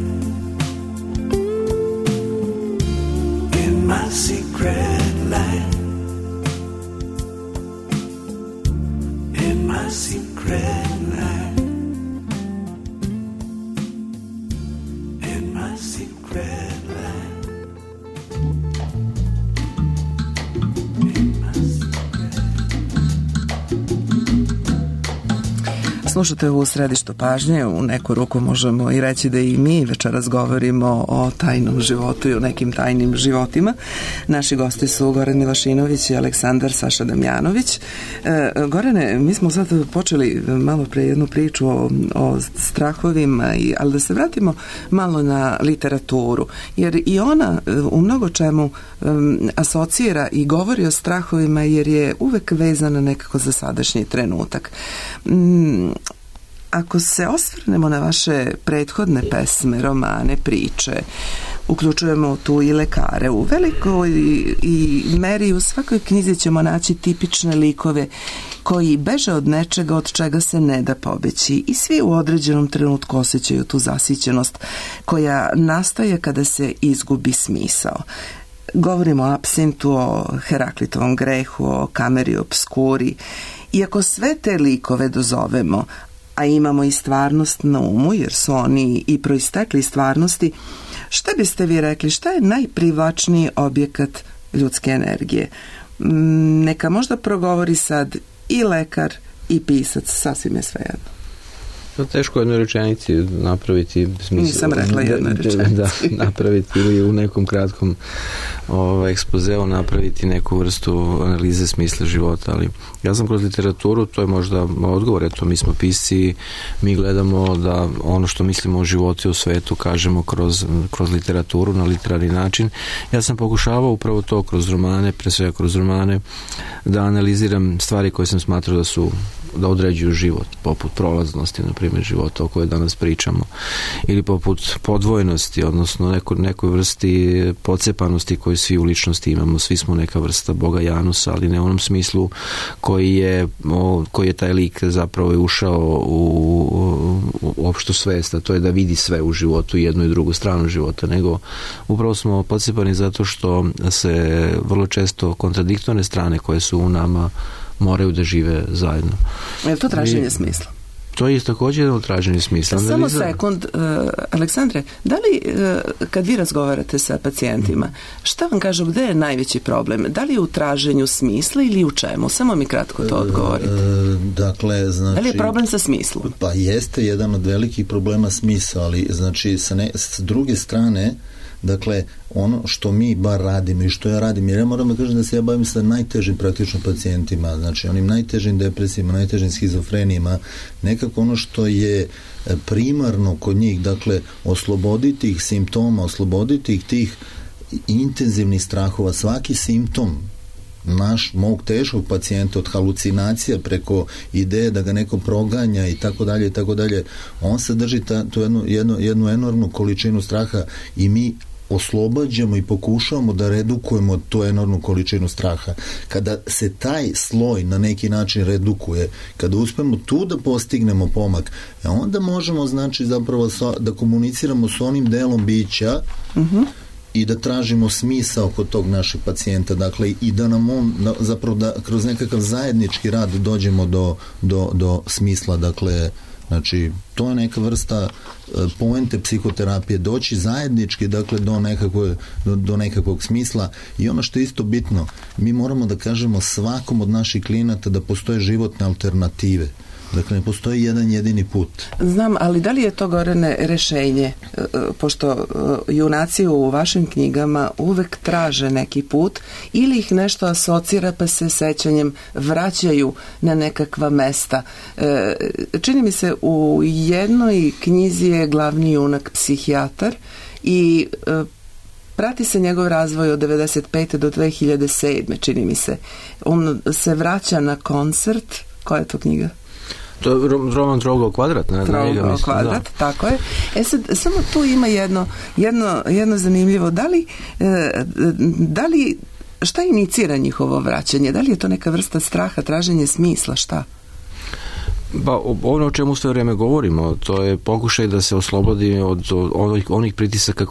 In my secret life. In my secret life. In my secret life. Slušate u Središtu pažnje, u neku ruku možemo i reći da i mi večeras govorimo o tajnom životu i o nekim tajnim životima. Naši gosti su Goran Milošinović i Aleksandar Saša Damjanović. Gorane, mi smo sad počeli malo pre jednu priču o strahovima, ali da se vratimo malo na literaturu, jer i ona u mnogo čemu asocira i govori o strahovima, jer je uvek vezana nekako za sadašnji trenutak. Ako se osvrnemo na vaše prethodne pesme, romane, priče, uključujemo tu i lekare, u velikoj i meri u svakoj knjizi ćemo naći tipične likove koji beže od nečega od čega se ne da pobeći i svi u određenom trenutku osjećaju tu zasićenost koja nastaje kada se izgubi smisao. Govorimo o apsintu, o Heraklitovom grehu, o kameri obskuri. I ako sve te likove dozovemo, a imamo i stvarnost na umu, jer su oni i proistekli stvarnosti, šta biste vi rekli, šta je najprivlačniji objekat ljudske energije? Neka možda progovori sad i lekar i pisac, sasvim je svejedno. Teško je jednoj rečenici napraviti smisla. Nisam rekla jednoj rečenici. Da, napraviti ili u nekom kratkom ekspozeu napraviti neku vrstu analize smisla života, ali ja sam kroz literaturu, to je možda odgovor, eto mi smo pisci, mi gledamo da ono što mislimo o životu i o svetu kažemo kroz literaturu, na literarni način. Ja sam pokušavao upravo to kroz romane, pre svega kroz romane, da analiziram stvari koje sam smatrao da određuju život, poput prolaznosti, na primjer, života o kojoj danas pričamo, ili poput podvojnosti, odnosno nekoj vrsti pocepanosti koju svi u ličnosti imamo. Svi smo neka vrsta Boga Janusa, ali ne u onom smislu koji je taj lik zapravo ušao u opštu svest, a to je da vidi sve u životu, jednu i drugu stranu života, nego upravo smo pocepani zato što se vrlo često kontradiktorne strane koje su u nama moraju da žive zajedno. Je to traženje smisla? To je također jedno traženje smisla. Samo sekund, Aleksandre, da li kad vi razgovarate sa pacijentima, šta vam kažu, gde je najveći problem? Da li je u traženju smisla ili u čemu? Samo mi kratko to odgovorite. Dakle, znači, da li je problem sa smislom? Pa jeste jedan od velikih problema smisla, ali znači s druge strane, dakle, ono što mi bar radimo i što ja radim, jer ja moram da kažem da se ja bavim sa najtežim praktično pacijentima, znači onim najtežim depresijama, najtežim schizofrenijima, nekako ono što je primarno kod njih, dakle, osloboditi ih simptoma, osloboditi ih tih intenzivnih strahova, svaki simptom mog teškog pacijenta, od halucinacija preko ideje da ga neko proganja i tako dalje, on sadrži tu jednu enormnu količinu straha i mi oslobađamo i pokušavamo da redukujemo tu enormnu količinu straha. Kada se taj sloj na neki način redukuje, kada uspemo tu da postignemo pomak, onda možemo, znači, zapravo da komuniciramo s onim delom bića i da tražimo smisao kod tog našeg pacijenta, dakle, i da nam on, zapravo da kroz nekakav zajednički rad dođemo do smisla, dakle, znači, to je neka vrsta poente psihoterapije, doći zajednički, dakle, do nekakvog smisla. I ono što je isto bitno, mi moramo da kažemo svakom od naših klijenata da postoje životne alternative. Dakle, ne postoji jedan jedini put. Znam, ali da li je to, Gorane, rešenje? Pošto junaci u vašim knjigama uvek traže neki put ili ih nešto asocira pa se sećanjem vraćaju na nekakva mesta. Čini mi se u jednoj knjizi je glavni junak psihijatar i prati se njegov razvoj od 95. do 2007. čini mi se. On se vraća na koncert. Koja je to knjiga? To je roman Trougao kvadrat. Trougao kvadrat, da. Tako je. Sad, samo tu ima jedno zanimljivo. Da li šta inicira njihovo vraćanje? Da li je to neka vrsta straha, traženje smisla, šta? Pa ono o čemu sve vreme govorimo, to je pokušaj da se oslobodi od onih pritisaka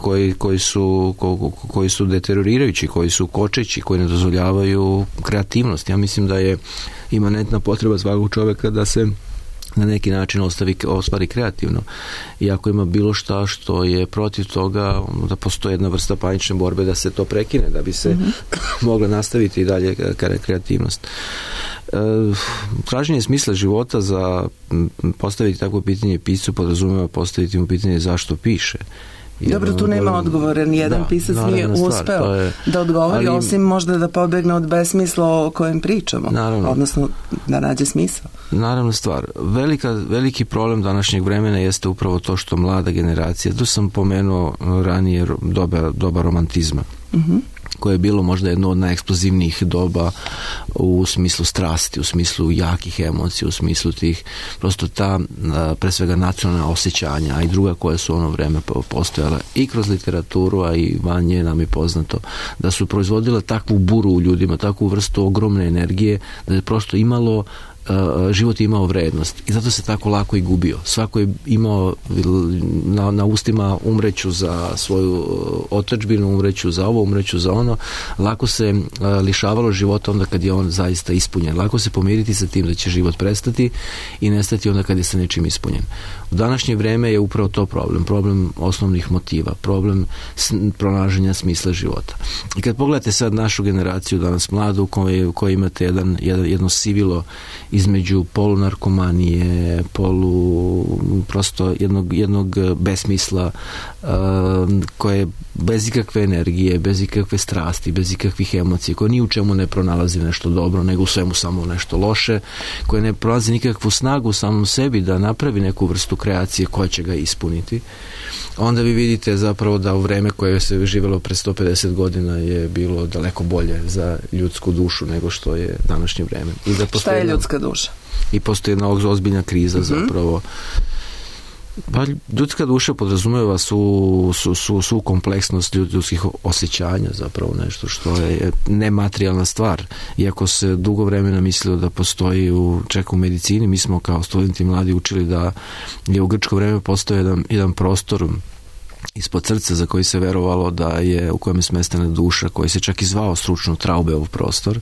koji su deteriorirajući, koji su kočeći, koji ne dozvoljavaju kreativnost. Ja mislim da je imanentna potreba svakog čoveka da se na neki način ostvari kreativno. I ako ima bilo šta što je protiv toga, da postoji jedna vrsta panične borbe da se to prekine, da bi se mogla nastaviti i dalje kreativnost. Traženje smisla života za postaviti takvo pitanje piscu podrazumeva postaviti mu pitanje zašto piše. Dobro, tu nema odgovora, nijedan pisac nije uspeo da odgovori, osim možda da pobegne od besmisla o kojem pričamo, odnosno da nađe smisao. Naravno stvar. Veliki problem današnjeg vremena jeste upravo to što mlada generacija, tu sam pomenuo ranije doba romantizma, koje je bilo možda jedno od najeksplozivnijih doba u smislu strasti, u smislu jakih emocija, u smislu tih, prosto ta pre svega nacionalna osjećanja, a i druga koja su ono vreme postojala i kroz literaturu, a i van nje nam je poznato, da su proizvodila takvu buru u ljudima, takvu vrstu ogromne energije, da je prosto život je imao vrednost i zato se tako lako i gubio. Svako je imao na ustima umreću za svoju otadžbinu, umreću za ovo, umreću za ono. Lako se lišavalo života onda kad je on zaista ispunjen. Lako se pomiriti sa tim da će život prestati i nestati onda kad je sa nečim ispunjen. U današnje vreme je upravo to problem osnovnih motiva, problem pronalaženja smisla života. I kad pogledate sad našu generaciju danas mladu u kojoj imate jedno sivilo između polunarkomanije, prosto jednog besmisla koje bez ikakve energije, bez ikakve strasti, bez ikakvih emocija, koje ni u čemu ne pronalazi nešto dobro, nego u svemu samo nešto loše, koje ne pronalazi nikakvu snagu u samom sebi da napravi neku vrstu kreacije koja će ga ispuniti, onda vi vidite zapravo da u vreme koje se živjelo pre 150 godina je bilo daleko bolje za ljudsku dušu nego što je današnje vreme. Šta je ljudska duša? I postoji jedna ozbiljna kriza zapravo. Pa ljudska duša podrazumeva su kompleksnost ljudskih osjećanja, zapravo nešto što je nematerijalna stvar. Iako se dugo vremena mislilo da postoji čak u medicini, mi smo kao studenti mladi učili da je u grčko vreme postojao jedan prostor ispod srca za koji se verovalo da je u kojem je smestena duša, koji se čak i zvao stručno Traubeov prostor.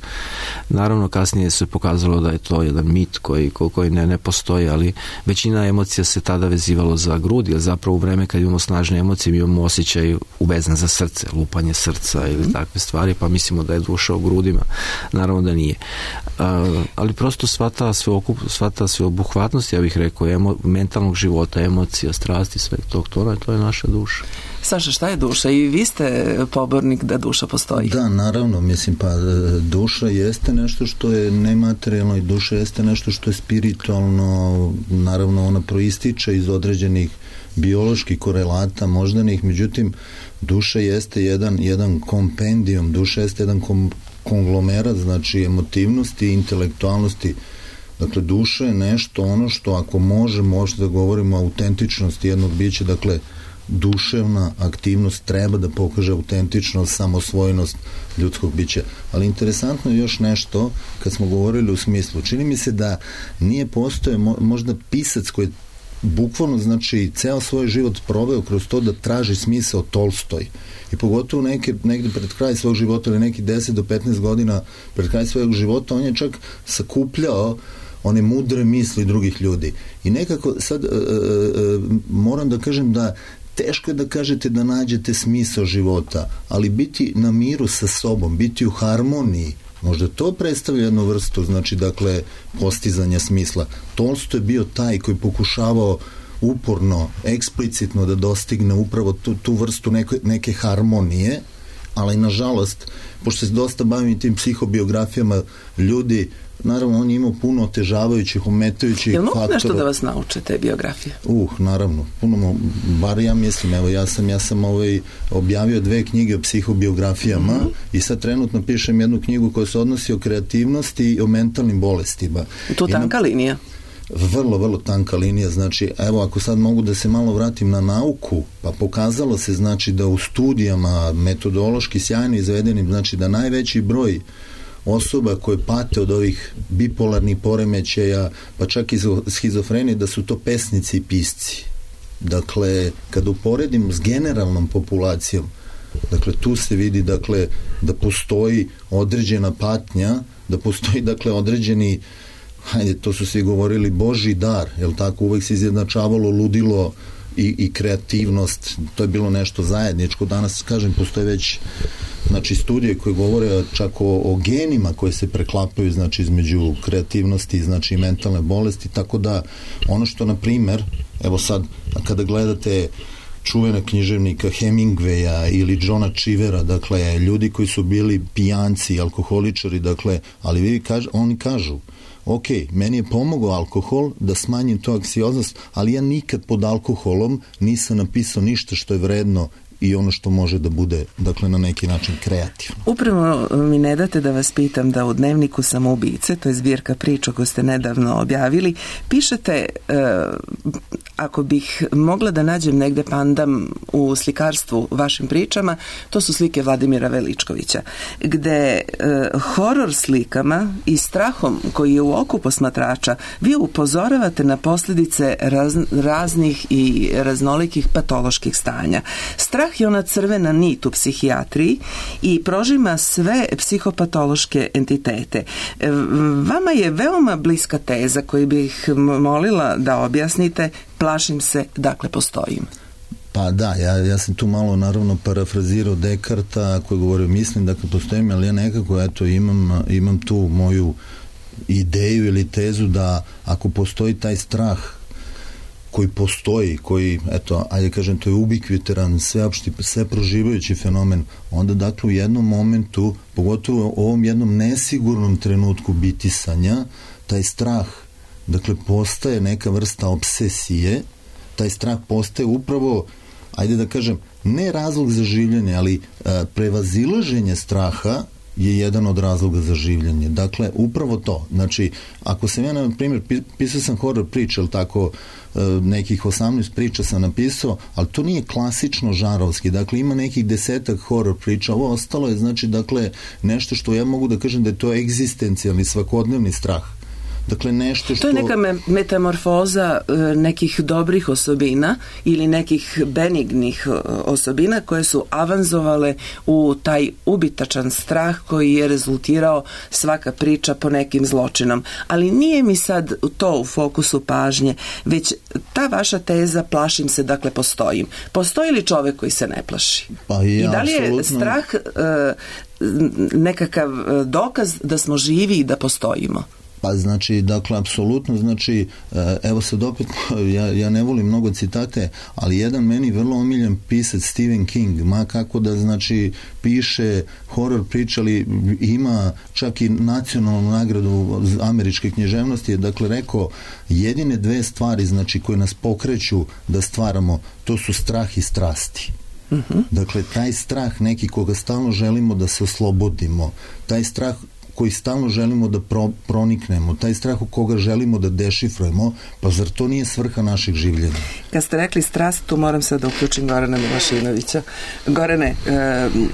Naravno kasnije se pokazalo da je to jedan mit koji ne postoji, ali većina emocija se tada vezivalo za grudi, jer zapravo u vreme kad imamo snažne emocije mi imamo osjećaj uvezan za srce, lupanje srca ili takve stvari, pa mislimo da je duša u grudima. Naravno da nije. Ali prosto sva ta sveobuhvatnost, ja bih rekao, mentalnog života, emocija, strasti, sve to je naša duša. Saša, šta je duša? I vi ste pobornik da duša postoji. Da, naravno, mislim, pa duša jeste nešto što je nematerijalno i duša jeste nešto što je spiritualno, naravno ona proističe iz određenih bioloških korelata moždanih, međutim duša jeste jedan kompendijum, duša jeste jedan konglomerat, znači emotivnosti i intelektualnosti. Dakle, duša je nešto ono što ako možemo da govorimo o autentičnosti jednog bića, dakle duševna aktivnost treba da pokaže autentičnost, samosvojnost ljudskog bića. Ali interesantno je još nešto, kad smo govorili u smislu, čini mi se da nije postoje možda pisac koji bukvalno, znači, ceo svoj život proveo kroz to da traži smisao, Tolstoj. I pogotovo negde pred kraj svog života ili neki 10 do 15 godina pred kraj svojeg života, on je čak sakupljao one mudre misli drugih ljudi. I nekako sad moram da kažem da teško je da kažete da nađete smisao života, ali biti na miru sa sobom, biti u harmoniji, Možda to predstavlja jednu vrstu, znači, dakle, postizanja smisla. Tolstoj je bio taj koji pokušavao uporno, eksplicitno da dostigne upravo tu vrstu neke harmonije, ali nažalost, pošto se dosta bavim tim psihobiografijama ljudi, naravno on je imao puno otežavajućih, ometajućih faktora. Jel mogu nešto da vas nauče te biografije? Naravno, puno, bar ja mislim, evo ja sam objavio 2 knjige o psihobiografijama i sad trenutno pišem jednu knjigu koja se odnosi o kreativnosti i o mentalnim bolestima. Tu tanka linija? Vrlo, vrlo tanka linija, znači, evo, ako sad mogu da se malo vratim na nauku, pa pokazalo se, znači, da u studijama metodološki sjajno izvedenim, znači, da najveći broj osoba koje pate od ovih bipolarnih poremećaja, pa čak i schizofrenije, da su to pesnici i pisci. Dakle, kada uporedim s generalnom populacijom, dakle, tu se vidi, dakle, da postoji određena patnja, da postoji, dakle, određeni, hajde, to su svi govorili, Božji dar, jel tako, uvek se izjednačavalo ludilo i kreativnost, to je bilo nešto zajedničko. Danas, kažem, postoje već, znači, studije koje govore čak o genima koje se preklapaju, znači, između kreativnosti, znači, i mentalne bolesti, tako da ono što, na primer, evo sad, kada gledate čuvena književnika Hemingwaya ili Johna Cheevera, dakle, ljudi koji su bili pijanci, alkoholičari, dakle, ali oni kažu, ok, meni je pomogao alkohol da smanjim to anksioznost, ali ja nikad pod alkoholom nisam napisao ništa što je vredno i ono što može da bude, dakle, na neki način kreativno. Upravo mi ne date da vas pitam da u dnevniku Samoubice, to je zbirka priča koju ste nedavno objavili, pišete, ako bih mogla da nađem negde pandam u slikarstvu vašim pričama, to su slike Vladimira Veličkovića, gde horor slikama i strahom koji je u oku posmatrača vi upozoravate na posljedice raznih i raznolikih patoloških stanja. Strah je ona crvena nit u psihijatriji i prožima sve psihopatološke entitete. Vama je veoma bliska teza koju bih molila da objasnite, plašim se, dakle postojim. Pa da, ja sam tu malo naravno parafrazirao Dekarta koji govorio, mislim da postojim, ali ja nekako eto imam tu moju ideju ili tezu da ako postoji taj strah koji postoji, koji, eto, ajde kažem, to je ubikviteran, sve proživajući fenomen, onda dakle u jednom momentu, pogotovo u ovom jednom nesigurnom trenutku bitisanja, taj strah, dakle, postaje neka vrsta obsesije, taj strah postaje upravo, ajde da kažem, ne razlog za življenje, ali prevazilaženje straha je jedan od razloga za življenje. Dakle, upravo to. Znači, ako sam ja, na primjer, pisao sam horor priča, ali tako, nekih 18 priča sam napisao, ali to nije klasično žarovski. Dakle, ima nekih 10 horor priča. Ovo ostalo je, znači, dakle, nešto što ja mogu da kažem da je to egzistencijalni, svakodnevni strah. Dakle, nešto što... To je neka metamorfoza nekih dobrih osobina ili nekih benignih osobina koje su avanzovale u taj ubitačan strah koji je rezultirao svaka priča po nekim zločinom. Ali nije mi sad to u fokusu pažnje, već ta vaša teza plašim se, dakle postojim. Postoji li čovek koji se ne plaši? Pa i da li je apsolutno... strah nekakav dokaz da smo živi i da postojimo? Pa znači, dakle, apsolutno, znači, evo sad opet, ja ne volim mnogo citate, ali jedan meni vrlo omiljen pisac Stephen King, ma kako da, znači, piše horor priče, ali ima čak i nacionalnu nagradu američke književnosti, je dakle rekao, jedine 2 stvari, znači, koje nas pokreću da stvaramo, to su strah i strasti. Dakle, taj strah neki koga stalno želimo da se oslobodimo, taj strah koji stalno želimo da proniknemo, taj strah u koga želimo da dešifrujemo, pa zar to nije svrha našeg življenja? Kad ste rekli strast, tu moram sad da uključim Gorana Milošinovića. Gorane,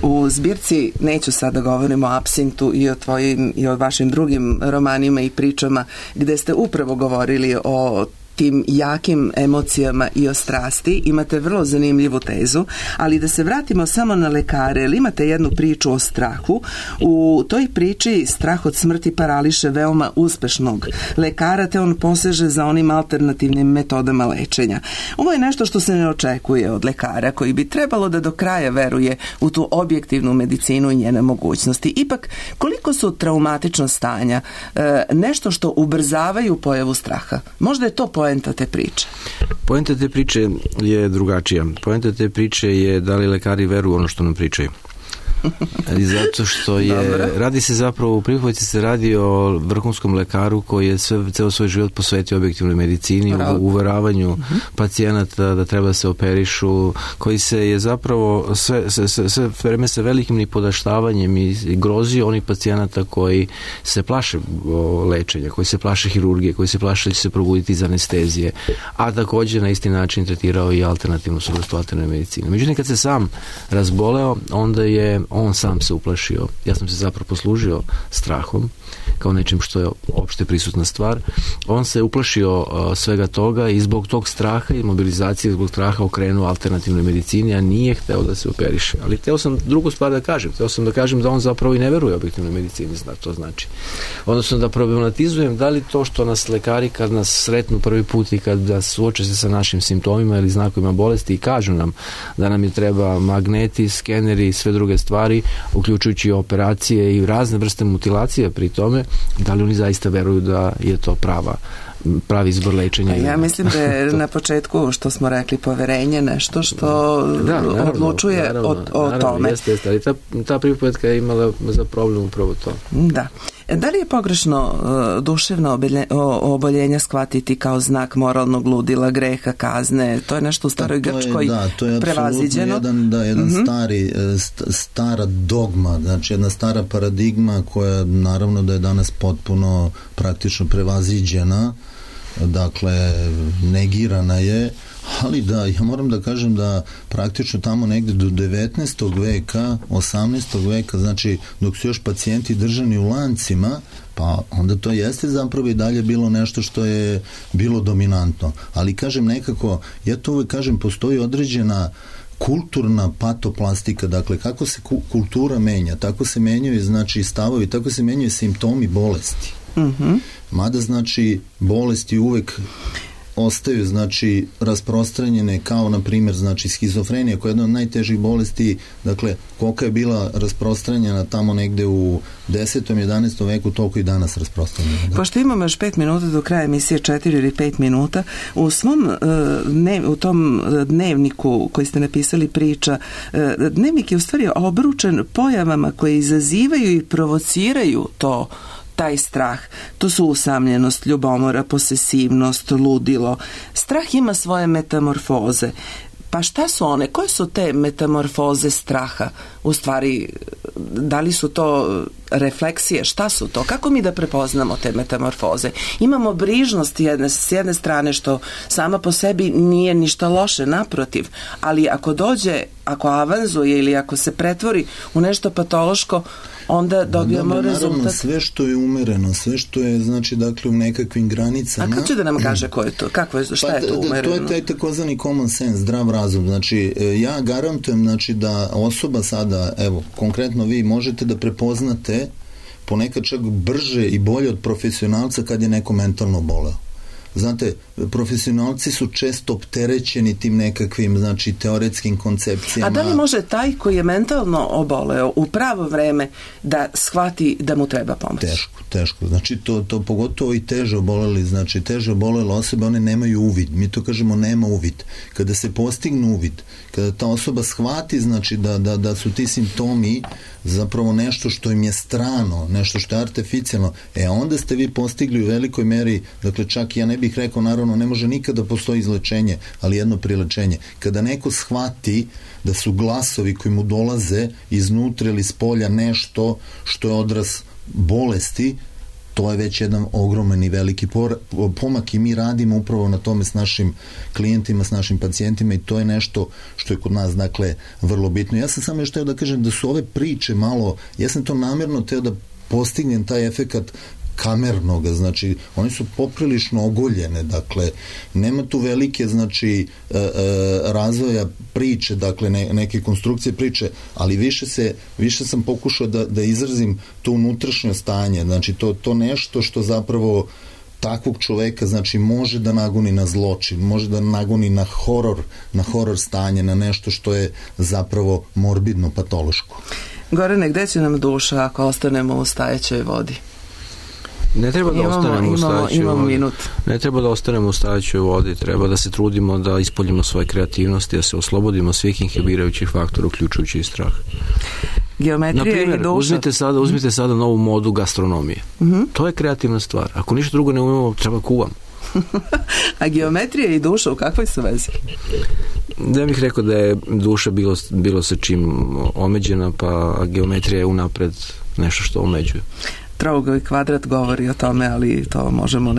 u zbirci neću sad da govorimo o Apsintu i o tvojim i o vašim drugim romanima i pričama gde ste upravo govorili o tim jakim emocijama i o strasti. Imate vrlo zanimljivu tezu, ali da se vratimo samo na lekare, jer imate jednu priču o strahu. U toj priči strah od smrti parališe veoma uspešnog lekara, te on poseže za onim alternativnim metodama lečenja. Ovo je nešto što se ne očekuje od lekara, koji bi trebalo da do kraja veruje u tu objektivnu medicinu i njene mogućnosti. Ipak, koliko su traumatična stanja nešto što ubrzavaju pojavu straha? Možda je to poenta te priče. Poenta te priče je drugačija. Poenta te priče je da li lekari veruju ono što nam pričaju. I zato što radi se zapravo, u pripovedci se radi o vrhunskom lekaru koji je ceo svoj život posvetio objektivnoj medicini, uveravanju pacijenata da treba se operišu, koji se je zapravo sve vreme sa velikim nipodaštavanjem i grozio onih pacijenata koji se plaše lečenja, koji se plaše hirurgije, koji se plaše da će se probuditi iz anestezije, a također na isti način tretirao i alternativnu suvrstu alternativne medicine. Međutim, kad se sam razboleo, onda je on sam se uplašio. Ja sam se zapravo poslužio strahom kao nečim što je opšte prisutna stvar. On se uplašio svega toga i zbog tog straha i mobilizacije zbog straha okrenuo alternativnoj medicini, a nije hteo da se operiše. Ali hteo sam drugu stvar da kažem. Hteo sam da kažem da on zapravo i ne veruje objektivnoj medicini, to znači. Odnosno da problematizujem da li to što nas lekari kad nas sretnu prvi put i kad nas suoče se sa našim simptomima ili znakovima bolesti i kažu nam da nam je treba magneti, skeneri i sve druge stvari, uključujući operacije i razne vrste mutilacije pri tome, da li oni zaista veruju da je to pravi izbor lečenja? Ja mislim da je na početku, što smo rekli, poverenje nešto što odlučuje o tome. Jeste, ali ta pripovedka je imala za problem upravo to. Da. Da li je pogrešno duševno oboljenja shvatiti kao znak moralnog ludila, greha, kazne? To je nešto u staroj Grčkoj prevaziđeno. To je jedan stara dogma, znači jedna stara paradigma koja naravno da je danas potpuno praktično prevaziđena, dakle negirana je, ali da, ja moram da kažem da praktično tamo negde do 19. veka, 18. veka, znači dok su još pacijenti držani u lancima, pa onda to jeste zapravo i dalje bilo nešto što je bilo dominantno. Ali kažem nekako, ja to uvek kažem, postoji određena kulturna patoplastika, dakle kako se kultura menja, tako se menjaju znači stavovi, tako se menjaju simptomi bolesti. Mada znači bolesti uvek ostaju znači rasprostranjene kao na primjer znači schizofrenija koja je jedna od najtežih bolesti, dakle koliko je bila rasprostranjena tamo negde u 10. 11. veku, toliko i danas rasprostranjena. Pošto imamo još 5 minuta do kraja emisije, 4 ili 5 minuta, u svom u tom dnevniku koji ste napisali priča, dnevnik je u stvari obručen pojavama koje izazivaju i provociraju taj strah. To su usamljenost, ljubomora, posesivnost, ludilo. Strah ima svoje metamorfoze. Pa šta su one? Koje su te metamorfoze straha? U stvari, da li su to refleksije? Šta su to? Kako mi da prepoznamo te metamorfoze? Imamo brižnost s jedne strane, što sama po sebi nije ništa loše, naprotiv, ali ako dođe, ako avanzuje ili ako se pretvori u nešto patološko, onda dobijamo rezultat. Naravno, sve što je umereno, sve što je, znači, dakle, u nekakvim granicama. A kako će da nam kaže ko je to? Šta je to umereno? To je taj takozvani common sense, zdrav razum. Znači, ja garantujem, znači, da osoba sada, evo, konkretno vi možete da prepoznate ponekad čak brže i bolje od profesionalca kad je neko mentalno boleo. Znate, profesionalci su često opterećeni tim nekakvim, znači, teoretskim koncepcijama. A da li može taj koji je mentalno oboleo u pravo vreme da shvati da mu treba pomoć? Teško. Znači, to pogotovo i teže oboleli, znači, teže obolele osobe, one nemaju uvid. Mi to kažemo nema uvid. Kada se postignu uvid, kada ta osoba shvati, znači, da su ti simptomi zapravo nešto što im je strano, nešto što je artificijalno, onda ste vi postigli u velikoj meri, dakle, čak ja ne bih rekao, naravno, ne može nikada postoji izlečenje, ali jedno prilečenje. Kada neko shvati da su glasovi koji mu dolaze iznutra ili s polja nešto što je odraz bolesti, to je već jedan ogroman i veliki pomak i mi radimo upravo na tome s našim klijentima, s našim pacijentima i to je nešto što je kod nas, dakle, vrlo bitno. Ja sam samo još teo da kažem da su ove priče malo, ja sam to namjerno teo da postignem taj efekat kamernog, znači one su poprilično ogoljene, dakle nema tu velike znači razvoja priče, dakle neke konstrukcije priče, ali više sam pokušao da izrazim to unutrašnje stanje, znači to nešto što zapravo takvog čoveka znači može da nagoni na zločin, može da nagoni na horor stanje, na nešto što je zapravo morbidno, patološko. Gorane, gde će nam duša ako ostanemo u stajećoj vodi? Ne treba da ostanemo u stajećoj vodi. Minut. Ne treba da ostanemo u stajećoj vodi, treba da se trudimo da ispoljimo svoje kreativnosti, da se oslobodimo svih inhibirajućih faktora, uključujući i strah. Geometrija i duša. Uzmite sada novu modu gastronomije. To je kreativna stvar. Ako ništa drugo ne umemo, treba kuvam. A geometrija i duša u kakvoj su vezi? Ja bih rekao da je duša bilo sa čim omeđena, pa geometrija je unapred nešto što omeđuje. Trougao i kvadrat govori o tome, ali to možemo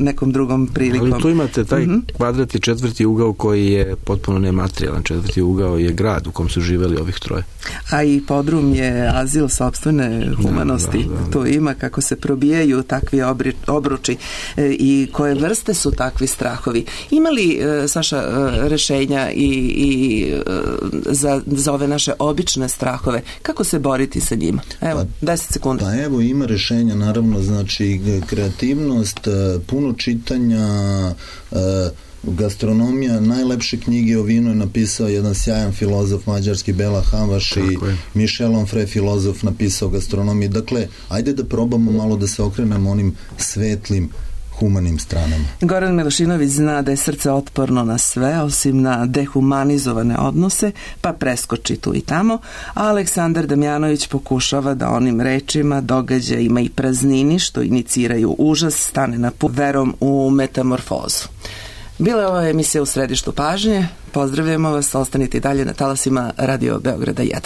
nekom drugom prilikom. Ali tu imate taj kvadrat i četvrti ugao koji je potpuno nematerijalan. Četvrti ugao je grad u kom su živeli ovih troje. A i podrum je azil sopstvene humanosti. Da. Tu ima kako se probijaju takvi obruči i koje vrste su takvi strahovi. Ima li, Saša, rešenja i za ove naše obične strahove? Kako se boriti sa njima? Evo, 10 sekundi. Evo, ima rešenja, naravno, znači kreativnost, puno čitanja, gastronomija, najlepše knjige o vinu je napisao jedan sjajan filozof mađarski, Bela Havaš, i Michel Onfray, filozof, napisao gastronomiju. Dakle, ajde da probamo malo da se okrenemo onim svetlim, humanim stranama. Goran Milošinović zna da je srce otporno na sve, osim na dehumanizovane odnose, pa preskoči tu i tamo, a Aleksandar Damjanović pokušava da onim rečima, događajima i praznini što iniciraju užas stane na put verom u metamorfozu. Bila je ova emisija U središtu pažnje. Pozdravljamo vas, ostanite i dalje na talasima Radio Beograda 1.